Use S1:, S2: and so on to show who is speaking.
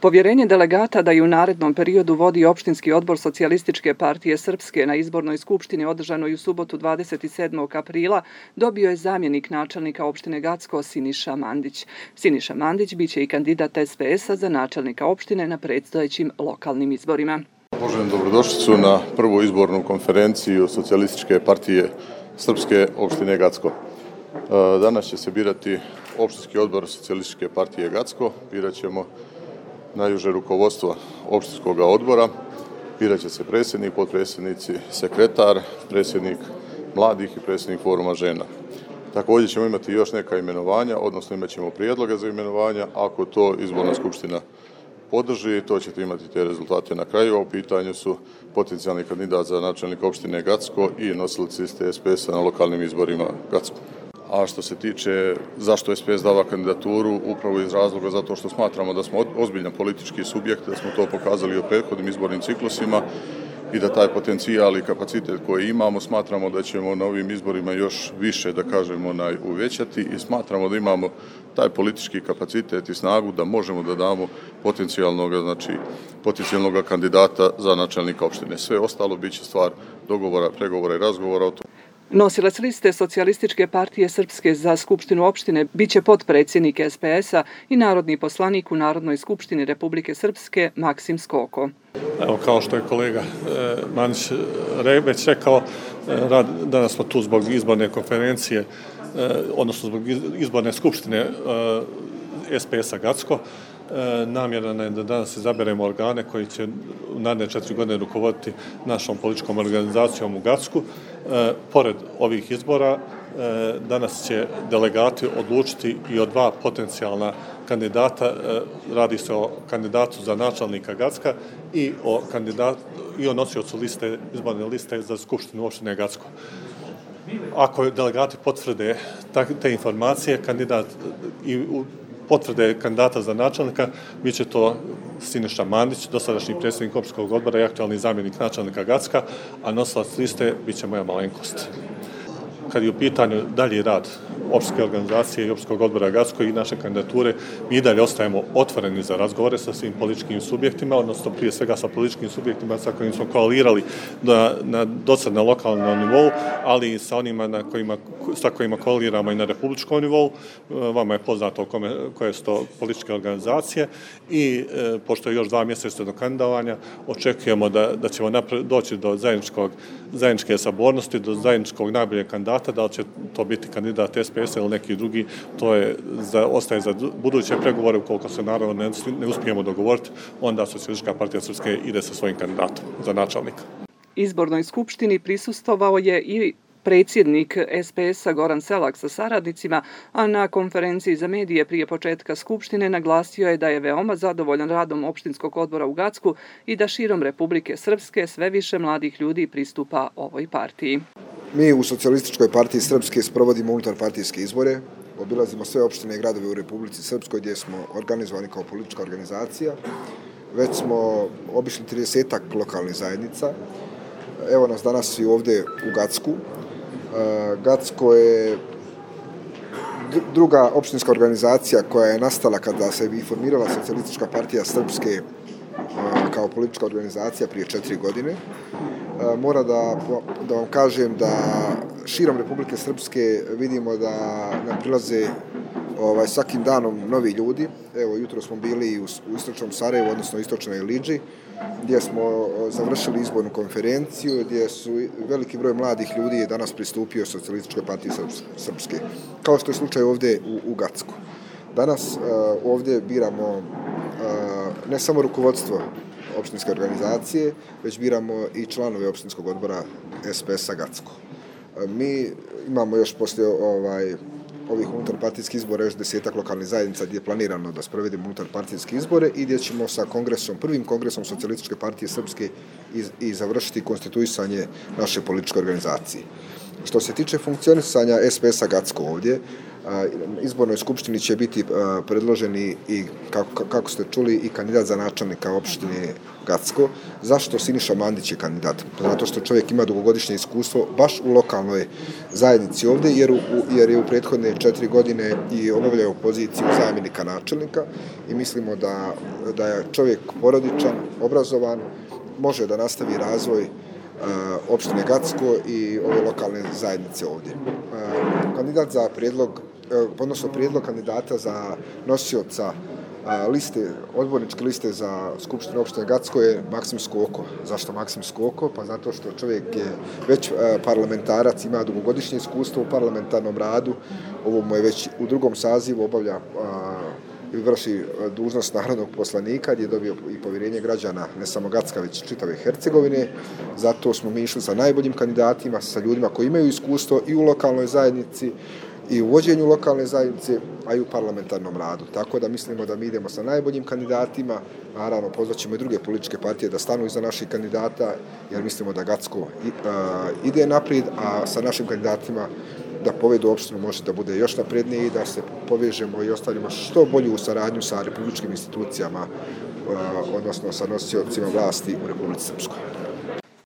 S1: Povjerenje delegata da i u narednom periodu vodi opštinski odbor Socijalističke partije Srpske na izbornoj skupštini održanoj u subotu 27. aprila dobio je zamjenik načelnika opštine Gacko Siniša Mandić. Siniša Mandić biće i kandidat SPS-a za načelnika opštine na predstojećim lokalnim izborima.
S2: Poželim dobrodošlicu na prvu izbornu konferenciju Socijalističke partije Srpske opštine Gacko. Danas će se birati opštinski odbor Socijalističke partije Gacko. Birat ćemo najuže rukovodstvo opštinskog odbora. Birat će se predsjednik, potpredsjednici, sekretar, predsjednik mladih i predsjednik foruma žena. Također ćemo imati još neka imenovanja, odnosno imat ćemo prijedloge za imenovanja. Ako to izborna skupština podrži, to ćete imati te rezultate na kraju. U pitanju su potencijalni kandidat za načelnika opštine Gacko i nosilac liste SPS-a na lokalnim izborima Gacko. A što se tiče zašto SPS dava kandidaturu, upravo iz razloga zato što smatramo da smo ozbiljan politički subjekt, da smo to pokazali u prethodnim izbornim ciklusima i da taj potencijal i kapacitet koji imamo, smatramo da ćemo na ovim izborima još više, da kažemo, uvećati i smatramo da imamo taj politički kapacitet i snagu da možemo da damo potencijalnog kandidata za načelnika opštine. Sve ostalo biće stvar dogovora, pregovora i razgovora o tom.
S1: Nosilac liste Socijalističke partije Srpske za Skupštinu opštine biće potpredsjednik SPS-a i narodni poslanik u Narodnoj skupštini Republike Srpske Maksim Skoko.
S3: Evo, kao što je kolega Mandić već rekao, danas smo tu zbog izborne konferencije, odnosno zbog izborne skupštine SPS-a Gacko. Namjera je da danas izaberemo organe koji će u naredne 4 godine rukovoditi našom političkom organizacijom u Gacku. Pored ovih izbora, danas će delegati odlučiti i o 2 potencijalna kandidata. Radi se o kandidatu za načelnika Gacka i o nosiocu izborne liste za skupštinu opštine Gacko. Ako delegati potvrde te informacije, potvrde kandidata za načelnika, bit će to Siniša Mandić, dosadašnji predsjednik opštinskog odbora i aktualni zamjenik načelnika Gacka, a nosilac liste bit će moja malenkost. Kad je u pitanju dalji rad opštinske organizacije i opštinskog odbora Gacko i naše kandidature, mi dalje ostajemo otvoreni za razgovore sa svim političkim subjektima, odnosno prije svega sa političkim subjektima sa kojima smo koalirali dosad na lokalnom nivou, ali i sa onima sa kojima koaliramo i na republičkom nivou. Vama je poznato koje su to političke organizacije i pošto je još 2 mjeseca do kandidovanja, očekujemo da ćemo doći do zajedničke sabornosti, do zajedničkog najboljeg kandidata, da li će to biti kandidat SPS-a ili neki drugi, to ostaje za buduće pregovore. Ukoliko se naravno ne uspijemo dogovoriti, onda Socijalistička partija Srpske ide sa svojim kandidatom za načelnika.
S1: Izbornoj skupštini prisustvovao je i predsjednik SPS-a Goran Selak sa saradnicima, a na konferenciji za medije prije početka skupštine naglasio je da je veoma zadovoljan radom opštinskog odbora u Gacku i da širom Republike Srpske sve više mladih ljudi pristupa ovoj partiji.
S4: Mi u Socijalističkoj partiji Srpske sprovodimo unutarpartijske izbore, obilazimo sve opštine i gradove u Republici Srpskoj gdje smo organizovani kao politička organizacija. Već smo obišli 30-ak lokalnih zajednica. Evo nas danas i ovdje u Gacku. Gacko je druga opštinska organizacija koja je nastala kada se formirala Socijalistička partija Srpske kao politička organizacija prije 4 godine. Mora da vam kažem da širom Republike Srpske vidimo da nam prilaze svakim danom novi ljudi. Evo, jutro smo bili u istočnom Sarajevu, odnosno istočnoj Iliđi, gdje smo završili izbornu konferenciju, gdje su veliki broj mladih ljudi danas pristupio Socijalističkoj partiji Srpske, kao što je slučaj ovdje u Gacku. Danas ovdje biramo ne samo rukovodstvo opštinske organizacije, već biramo i članove opštinskog odbora SPS-a Gacko. Mi imamo još poslije ovih unutarpartijskih izbora još 10-ak lokalnih zajednica gdje je planirano da sprovedemo unutarpartijske izbore i gdje ćemo sa prvim kongresom Socijalističke partije Srpske i završiti konstituisanje naše političke organizacije. Što se tiče funkcionisanja SPS-a Gacko ovdje, izbornoj skupštini će biti predloženi i, kako ste čuli, i kandidat za načelnika opštine Gacko. Zašto Siniša Mandić je kandidat? Zato što čovjek ima dugogodišnje iskustvo baš u lokalnoj zajednici ovdje, jer je u prethodne 4 godine i obavljao poziciju zamjenika načelnika i mislimo da je čovjek porodičan, obrazovan, može da nastavi razvoj opštine Gacko i ove lokalne zajednice ovdje. Kandidat za prijedlog kandidata za nosioca odborničke liste za Skupštinu opštine Gacko je Maksim Skoko. Zašto Maksim Skoko? Pa zato što čovjek je već parlamentarac, ima dugogodišnje iskustvo u parlamentarnom radu, ovo mu je već u 2. sazivu obavlja i vrši dužnost narodnog poslanika, gdje je dobio i povjerenje građana ne samo Gacka, već čitave Hercegovine. Zato smo mi išli sa najboljim kandidatima, sa ljudima koji imaju iskustvo i u lokalnoj zajednici, i u vođenju lokalne zajednice, a i u parlamentarnom radu. Tako da mislimo da mi idemo sa najboljim kandidatima. Naravno, pozvaćemo i druge političke partije da stanu iza naših kandidata, jer mislimo da Gacko ide naprijed, a sa našim kandidatima da povedu opštinu može da bude još naprednije i da se povežemo i ostavimo što bolju saradnju sa republičkim institucijama, odnosno sa nosiocima vlasti u Republici Srpskoj.